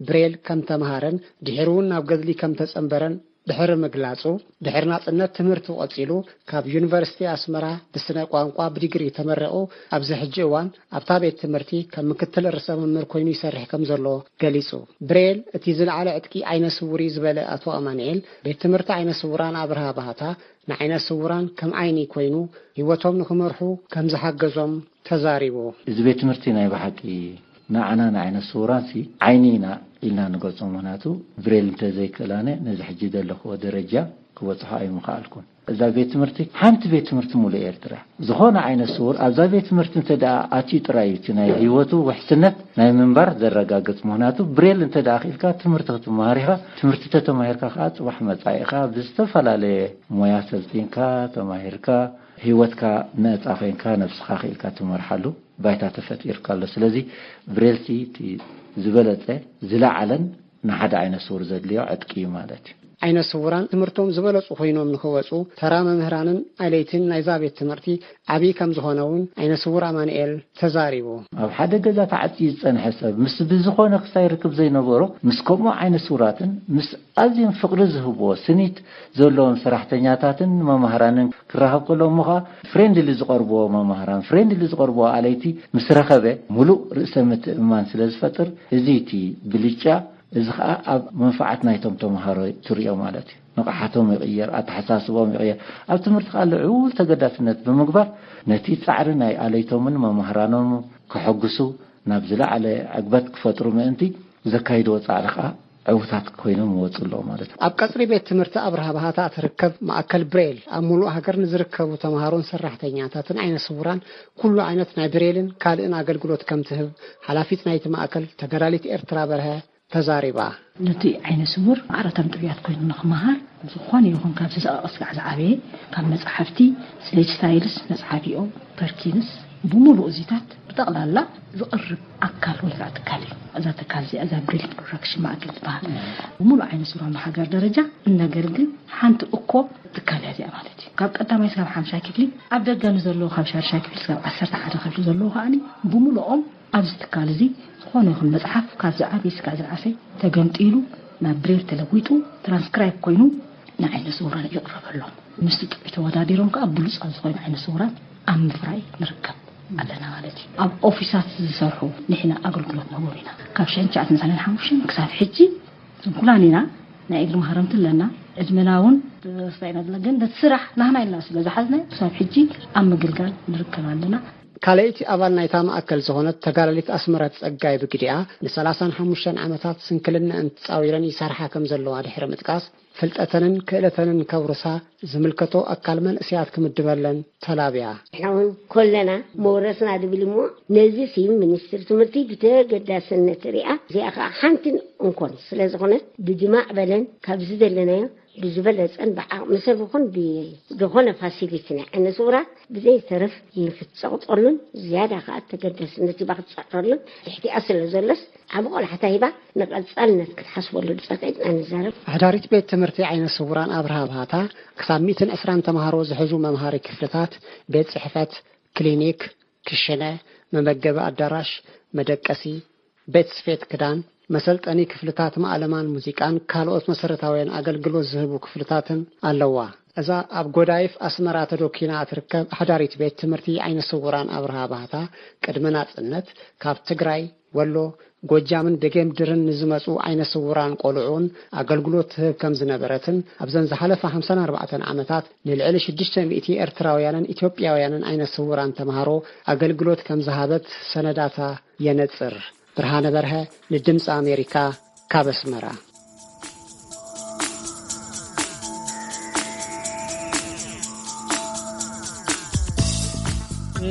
ብሬል ከም ተምሃረን ድሒሩ እውን ናብ ገድሊ ከም ተጸንበረን ድሕሪ ምግላጹ፣ ድሕሪ ናጽነት ትምህርቱ ቀጺሉ ካብ ዩኒቨርሲቲ ኣስመራ ብስነ ቋንቋ ብዲግሪ ተመሪቑ ኣብዚ ሕጂ እዋን ኣብታ ቤት ትምህርቲ ከም ምክትል ርእሰ መምህር ኮይኑ ይሰርሕ ከም ዘሎ ገሊጹ። ብሬል እቲ ዝለዓለ ዕጥቂ ዓይነ ስውር እዩ ዝበለ ኣቶ ኣማኑኤል፣ ቤት ትምህርቲ ዓይነ ስውራን ኣብርሃ ባህታ ንዓይነ ስውራን ከም ዓይኒ ኮይኑ ህይወቶም ንኽመርሑ ከም ዝሓገዞም ተዛሪቡ። እዚ ቤት ትምህርቲ ናይ ብሓቂ ንዓና ንዓይነ ስውራንሲ ዓይኒ ኢና ኢልና ንገልጾ። ምኽንያቱ ብሬል እንተዘይክእላነ ነዚ ሕጂ ዘለኽዎ ደረጃ ክበጽሖ ኣይምኸኣልኩን። እዛ ቤት ትምህርቲ ሓንቲ ቤት ትምህርቲ ሙሉእ ኤርትራ፣ ዝኾነ ዓይነ ስውር ኣብዛ ቤት ትምህርቲ እንተ ደኣ ኣትዩ ጥራይ እዩ እቲ ናይ ህይወቱ ውሕስነት ናይ ምንባር ዘረጋግጽ። ምኽንያቱ ብሬል እንተ ደኣ ክኢልካ ትምህርቲ ክትመሃር ኢኻ። ትምህርቲ ተተማሂርካ ከኣ ጽባሕ መጻኢኻ ብዝተፈላለየ ሞያ ሰልጢንካ፣ ተማሂርካ፣ ህይወትካ ነጻ ኮይንካ ነብስኻ ክኢልካ ትመርሓሉ ባይታ ተፈጢርካ ኣሎ። ስለዚ ብሬልሲ እቲ ዝበለጸ ዝለዓለን ንሓደ ዓይነ ስውር ዘድልዮ ዕጥቂ እዩ ማለት እዩ። ዓይነ ስውራን ትምህርቶም ዝበለጹ ኮይኖም ንኽወጹ ተራ መምህራንን ኣለይትን ናይዛ ቤት ትምህርቲ ዓብዪ ከም ዝኾነ እውን ዓይነ ስውር ኣማኑኤል ተዛሪቡ። ኣብ ሓደ ገዛ ተዓጽዩ ዝጸንሐ ሰብ ምስ ብዝኾነ ክሳይ ርክብ ዘይነበሮ ምስ ከምኡ ዓይነ ስውራትን ምስ ኣዝዮም ፍቕሪ ዝህብዎ ስኒት ዘለዎም ሰራሕተኛታትን መማህራንን ክራኸብ ከሎ እሞ ኸኣ ፍሬንድሊ ዝቐርብዎ መማህራን ፍሬንድሊ ዝቐርብዎ ኣለይቲ ምስ ረኸበ ምሉእ ርእሰ ምትእምማን ስለ ዝፈጥር እዚ እቲ ብልጫ እዚ ኸኣ ኣብ መንፈዓት ናይቶም ተምሃሮ ትርእዮ ማለት እዩ። ንቕሓቶም ይቕየር፣ ኣተሓሳስቦም ይቕየር። ኣብ ትምህርቲ ኸኣ ልዑል ተገዳስነት ብምግባር ነቲ ጻዕሪ ናይ ኣለይቶምን መማህራኖምን ከሐጉሱ ናብ ዝለዓለ ዕግበት ክፈጥሩ ምእንቲ ዘካይድዎ ጻዕሪ ኸኣ ዕውታት ኮይኖም ይወጹ ኣለዉ ማለት እዩ። ኣብ ቀጽሪ ቤት ትምህርቲ ኣብርሃ ባህታ እትርከብ ማእከል ብሬል ኣብ ሙሉእ ሃገር ንዝርከቡ ተምሃሮን ሰራሕተኛታትን ዓይነ ስውራን ኩሉ ዓይነት ናይ ብሬልን ካልእን ኣገልግሎት ከም ትህብ ሓላፊት ናይቲ ማእከል ተጋዳሊት ኤርትራ በርሀ ተዛሪባ። ነቲ ዓይነ ስውር ማዕረ ተምጥብያት ኮይኑ ንኽመሃር ዝኾነ ይኹን ካብ ዝሰቐቐ ስጋዕ ዝዓበየ ካብ መጻሕፍቲ ስሌጅ ስታይልስ መጽሓፊኦም ፐርኪንስ ብምሉእ እዚታት ብጠቕላላ ዝቕርብ ኣካል ወይ ከዓ ትካል እዩ። እዛ ትካል እዚኣ እዛ ብሪል ፕሮዳክሽን ማእከል ትበሃል። ብምሉእ ዓይነ ስውራን ብሃገር ደረጃ እነገልግል ሓንቲ እኮ ትካል እያ እዚኣ ማለት እዩ። ካብ ቀዳማይ ስጋብ ሓምሻይ ክፍሊ ኣብ ደገ ንዘለዉ ካብ ሻድሻይ ክፍሊ ስጋብ ዓሰርተ ሓደ ክፍሊ ዘለዉ ከዓኒ ብምሉኦም ኣብዚ ትካል እዚ ዝኾነ ይኹን መጽሓፍ ካብ ዝዓበየ ስጋዕ ዝንኣሰይ ተገምጢሉ ናብ ብሬል ተለዊጡ ትራንስክራይብ ኮይኑ ንዓይነ ስውራን ይቕረበሎም። ምስቲ ጥዑይ ተወዳዲሮም ከዓ ብሉጻት ዝኾኑ ዓይነ ስውራን ኣብ ምፍራይ ንርከብ ኣለና ማለት እዩ። ኣብ ኦፊሳት ዝሰርሑ ንሕና ኣገልግሎት ንህቦም ኢና። ካብ ሽሕን ትሽዓተ ሚእትን ሓሙሽተን ክሳብ ሕጂ ስንኩላን ኢና። ናይ እግሪ ማህረምቲ ኣለና። ዕድመና እውን ተስፋ ኢና ዘለና። ግን ነቲ ስራሕ ናህና ኢልና ስለ ዝሓዝናዮ ክሳብ ሕጂ ኣብ ምግልጋል ንርከብ ኣለና። ካልኣይቲ ኣባል ናይታ ማእከል ዝኾነት ተጋዳሊት ኣስመረት ጸጋይ ብግዲኣ ንሰላሳን ሓሙሽተን ዓመታት ስንክልነአን ተጻዊረን ይሰርሓ ከም ዘለዋ ድሕሪ ምጥቃስ፣ ፍልጠተንን ክእለተንን ከውርሳ ዝምልከቶ ኣካል መንእሰያት ክምድበለን ተላብያ። ንሕና እውን ኮለና መውረስና ድብል እሞ፣ ነዚ ሲ ሚኒስትሪ ትምህርቲ ብተገዳስነት ሪኣ፣ እዚኣ ከዓ ሓንትን እንኮን ስለ ዝኾነት ብድማዕ በለን ካብ ዝደለናዮ ብዝበለጸን ብዓቕሚ ሰብ ይኹን ብዝኾነ ፋሲሊቲ ናይ ዓይነ ስውራት ብዘይተረፍ ንክትጸቕጠሉን ዝያዳ ከዓ ተገዳስነት ሂባ ክትጸዕረሉን ትሕቲኣ ስለ ዘሎስ ዓቢ ቆላሕታ ሂባ ንቐጻልነት ክትሓስበሉ ጸቂጥና ንዛረብ። ኣሕዳሪት ቤት ትምህርቲ ዓይነ ስውራን ኣብርሃ ባህታ ክሳብ ሚእትን ዕስራን ተምሃሮ ዝሕዙ መምሃሪ ክፍልታት፣ ቤት ጽሕፈት፣ ክሊኒክ፣ ክሽነ፣ መመገቢ ኣዳራሽ፣ መደቀሲ፣ ቤት ስፌት ክዳን፣ መሰልጠኒ ክፍልታት ማእለማን ሙዚቃን ካልኦት መሰረታውያን ኣገልግሎት ዝህቡ ክፍልታትን ኣለዋ። እዛ ኣብ ጎዳይፍ ኣስመራ ተዶኪና እትርከብ ኣሕዳሪት ቤት ትምህርቲ ዓይነ ስውራን ኣብርሃ ባህታ ቅድሚ ናጽነት ካብ ትግራይ፣ ወሎ፣ ጎጃምን ደጌምድርን ንዝመጹ ዓይነ ስውራን ቆልዑን ኣገልግሎት ትህብ ከም ዝነበረትን ኣብዘን ዝሓለፋ ሓምሳን ኣርባዕተን ዓመታት ንልዕሊ ሽዱሽተ ሚእቲ ኤርትራውያንን ኢትዮጵያውያንን ዓይነ ስውራን ተምሃሮ ኣገልግሎት ከም ዝሃበት ሰነዳታ የነጽር። ብርሃነ በርሀ ንድምፂ ኣሜሪካ ካብ ኣስመራ።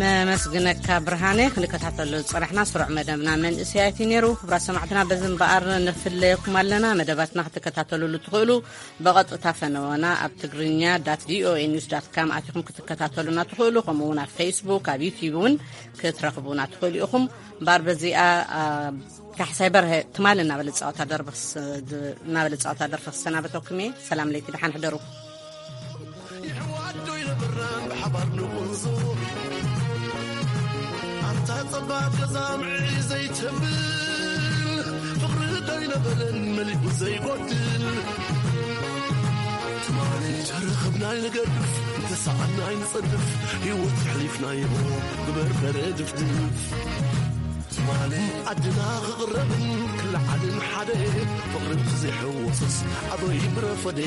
ነመስግነካ ብርሃነ። ክንከታተሎ ዝጸናሕና ስሩዕ መደብና መንእሰያት እዩ ነይሩ። ክቡራት ሰማዕትና፣ በዚ እምበኣር ንፍለየኩም ኣለና። መደባትና ክትከታተሉሉ ትኽእሉ ብቐጥታ ፈነወና ኣብ ትግርኛ ዳት ቪኦኤ ኒውስ ዳት ካም ኣቲኹም ክትከታተሉና ትኽእሉ። ከምኡ እውን ኣብ ፌስቡክ፣ ኣብ ዩቲዩብ እውን ክትረኽቡና ትኽእሉ ኢኹም። እምበኣር በዚኣ፣ ኣ፣ ካሕሳይ በርሀ ትማሊ እናበለ ዝጻወታ ደርፊ ክስ-፣ ድ-፣ እናበለ ዝጻወታ ደርፊ ክሰናበተኩም እየ። ሰላም ለይቲ፣ ደሓን ሕደሩ። ይሕዋዶ ይነብራን ብሓባር ንቑንዞ። ኣንታ ጸባብ ገዛ ምዕሪ ዘይተብል፣ ፍቕሪ ዶ ይነበረን መሊኡ ዘይጎድል። ትማሊ ተረኸብና ይንገድፍ፣ ተሳኣና ይንጸድፍ፣ ህይወት የሕሊፍናዮ ብበርበረ ድፍድፍ። ትማሊ ዓድና ክቕረብን ክለዓልን ሓደ፣ ፍቕሪ እንተዘይሕወሶስ ኣበይ ምረፈደ።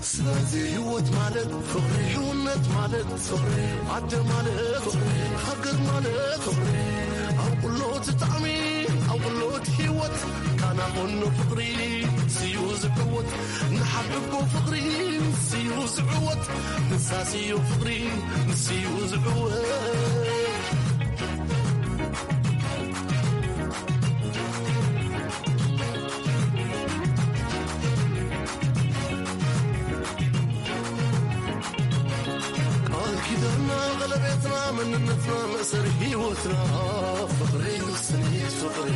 ስለዚ ህይወት ማለት ፍቕሪ፣ ህውነት ማለት ፍቕሪ፣ ኣደ ማለት ፍቕሪ፣ ሃገር ማለት ፍቕሪ። ኣብ ኩሉ እቲ ጣዕሚ፣ ኣብ ኩሉ እቲ ህይወት፣ ካና ኮኖ ፍቕሪ ስዩ ዝዕወት። ንሓብቦ ፍቕሪ ስዩ ዝዕወት። ንሳስዮ ፍቕሪ ንስዩ ዝዕወት። ቃል ኪዳንና፣ ቀለቤትና፣ መንነትና፣ መእሰሪ ህይወትና፣ ፍቕሪ፣ ስኒት ፍቕሪ።